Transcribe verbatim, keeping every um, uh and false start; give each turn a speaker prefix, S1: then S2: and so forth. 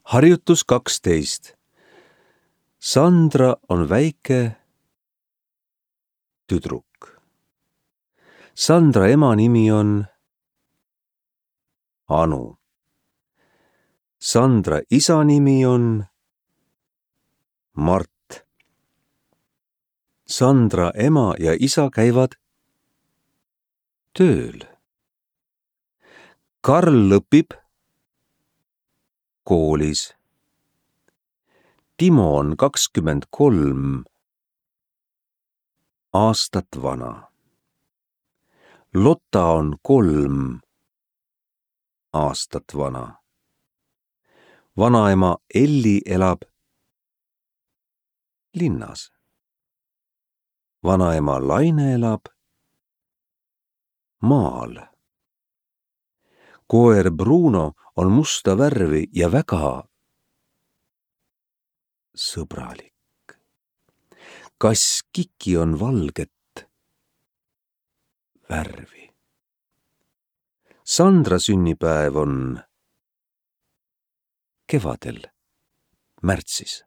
S1: Harjutus kaksteist. Sandra on väike tüdruk. Sandra ema nimi on Anu. Sandra isa nimi on Mart. Sandra ema ja isa käivad tööl. Karl õpib koolis. Timo on kakskümmend kolm aastat vana. Lotta on kolm aastat vana. Vanaema Elli elab linnas. Vanaema Laine elab maal. Koer Bruno on musta värvi ja väga sõbralik. Kass Kiki on valget värvi. Sandra sünnipäev on kevadel, märtsis.